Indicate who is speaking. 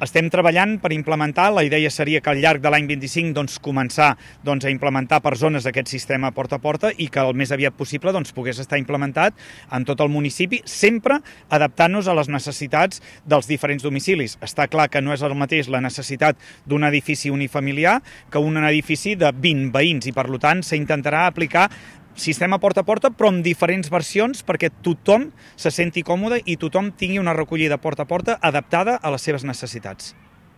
Speaker 1: Estem treballant per implementar, la idea seria que al llarg de l'any 25 començar a implementar per zones aquest sistema porta a porta i que el més aviat possible pogués estar implementat en tot el municipi, sempre adaptant-nos a les necessitats dels diferents domicilis. Està clar que no és el mateix la necessitat d'un edifici unifamiliar que un edifici de 20 veïns i per tant s'intentarà aplicar sistema porta a porta, però amb diferents versions perquè tothom se senti còmode i tothom tingui una recollida porta a porta adaptada a les seves necessitats.